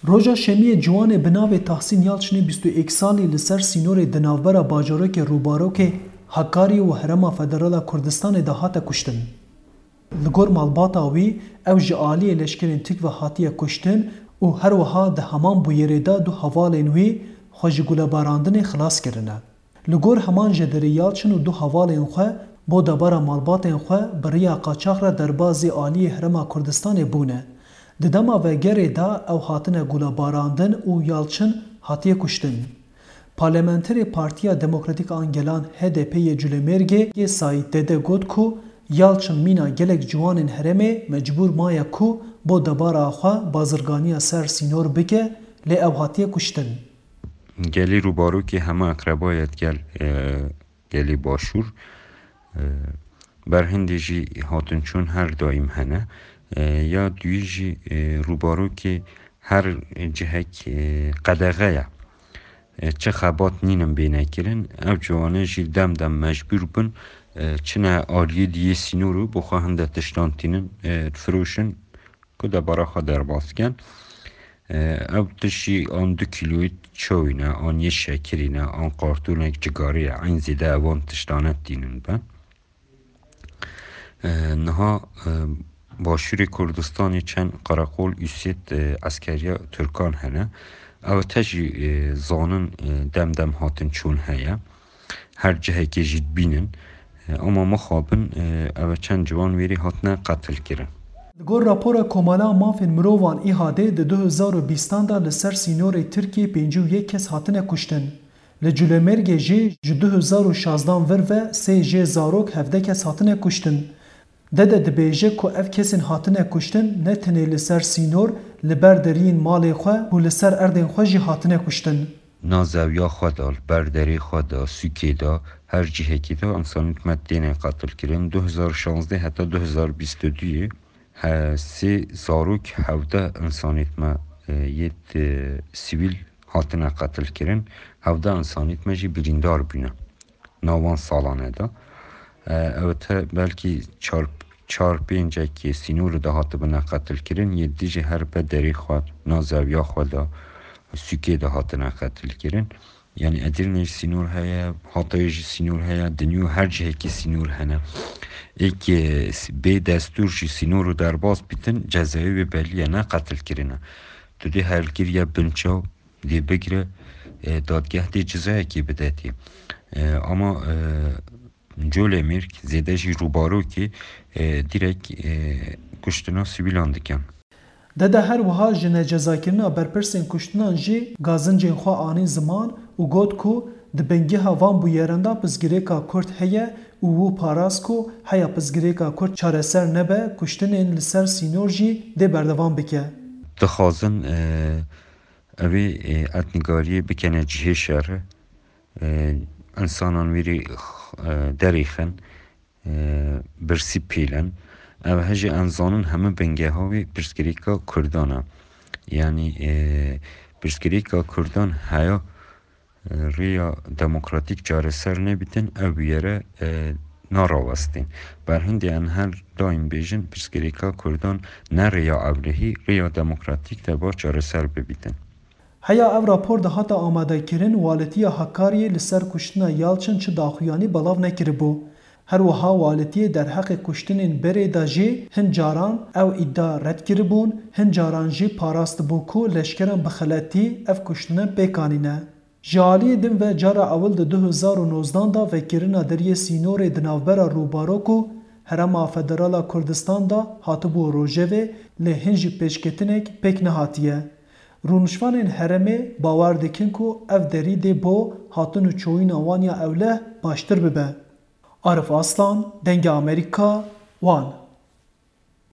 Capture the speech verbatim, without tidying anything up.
Roja Şemiyê ciwanê bi navê Tahsîn Yalçinê bîst û yek salî li ser sînorê di navbera bajarokê Rûbarokê Hakarî û Herêma Federal a Kurdistanê de hate kuştin. Li gor malbata wî, ew ji aliyê leşkerên Tirk ve hatiye kuştin û her wiha di heman bûyerê de du hevalên wî xwe ji gulebarandinê xilas kirine. Li gor heman jêderê Yalçin û du hevalên xwe bo debara malbatên xwe bi riya qaçax re derbazî aliyê Herêma Kurdistanê bûne. Di dema vegerê de ew hatine gulebarandin û Yalçin hatiye kuştin. Parlamenterê Partiya Demokratîk an Gelan, H D P, yê Culemêrgê yê Saîd Dede got ku Yalçin mîna gelek ciwanên herêmê mecbûr maye ku bo debara xwe bazirganiya ser sînor bike, lê ew hatiye kuştin. Gelî Rûbarokê hema eqrebayê digel, e, gelê Başûr, e, berhindê jî hatinçûn her daîm hene. E, ya duyî jî, e, Rûbarokê her cihek, e, qedexe ye. E, çi xebat nînin bêne kirin, ev ciwane jî dem dem mecbûr bin, e, çine aliyê diyê sînorû, bo xwe hinde tiştan tînin, e, difiroşin, ku debara xwe derbas ken. E, ew tişt jî an du kîloyî çawî ne, an yê şekirî ne, an qartûnek cigarî ye, eyn zêde evan tiştane tînin be. E, niha, e, başûrê Kurdistanê çend qereqol û sêt, e, eskeriya Tirkan hene. Ew te jî, e, zanin, e, dem dem hatinçûn heye. Her cihekê jî dibînin. E, ama mixabin, e, ev çend ciwan wêrî hatine qetilkirin. Li gor rapora Komala Mafên Mirovan, ÎHDê, di du hezar û bîstan de li ser sînorê Tirkiyê pêncî û yek kes hatine kuştin. Li Culemêrgê jî ji du hezar û şazdan vir ve sê jê zarok, hevdeh kes hatine kuştin. Dede dibêje ku ev kesên hatine kuştin ne tenê li ser sînor, li ber deriyên malê xwe û li ser erdên xwe jî hatine kuştin. Na zewiya xwe de, li ber derê xwe de, sûkê de, her cihekî de însanît me têne qetilkirin. Du hezar şazdeh heta du hezar bîst û duyê, he, sê zarok, hevdeh însanît me, e, yê, e, sivîl hatine qetilkirin. Hevdeh însanît me jî birîndar bûne. Na wan salane de. E, ew te belkî çar, çar pêncekê sînorê de hatibine qetilkirin, yê dî jî her be derê xwe, na zewiya xwe de, sûkê de hatine qetilkirin. Yanî Edirne jî sînor heye, Hatayê jî sînor heye, dinya her cihekî sînor hene. Êkê bê destûr jî sînor û derbas bîtin, cezayê wê belî ye, ne qetilkirin e. Tu dê helkiriye binçaw, dê bigire, e, dadgeh dê cezayekê bidetê. E, ama, e, Colemêrg, zêde jî Rûbarokê, e, dîrek, e, kuştina sivîlan dikin. Dede her wiha ji necezakirina berpirsên kuştinan jî gazincên xwe anî ziman û got ku di bingeha van bûyeran de pirsgirêka Kurd heye û wî parast ku heya pirsgirêka Kurd çareser nebe, kuştinên li ser sînor jî dê berdewam bike. Dixwazin, e, evê, e, etnîgariyê bikene cihê şerê, e, însanan wêrî, e, derêxin, e, birsî pêlin. Ev hejî em zanin hemû bingeha wê pirsgirêka Kurdan e. Yanî, e, pirsgirêka Kurdan heya, e, rêya demokratîk çareser nebîtin, ev bûyere, e, narawestên. Berhindê em her daîm bêjin, pirsgirêka Kurdan ne rêya ewlehî, rêya demokratîk de ba çareser bibîtin. Heya ev rapor de hate amadekirin, Waletiya Hakariyê li ser kuştina Yalçin çi daxuyanî belav nekiribû. Her wiha Waletiyê derheqê kuştinên berê de jî hin caran ew îdia red kiribûn, hin caran jî parastibû ku leşkeran bi xeletî ev kuştinan pêk anîne. Ji aliyê din ve cara ewil di du hezar û nozdan de vekirina deriyê sînorê di navbera Rûbarok û Herêma Federal a Kurdistanê de hatibû rojevê, lê hin jî pêşketinek pêk nehatiye. Rûniştvanên herêmê bawer dikin ku ev derî dê bo hatin û çûyîna wan ya ewleh baştir bibe. Arif Aslan, Dengê Amerîka, Wan.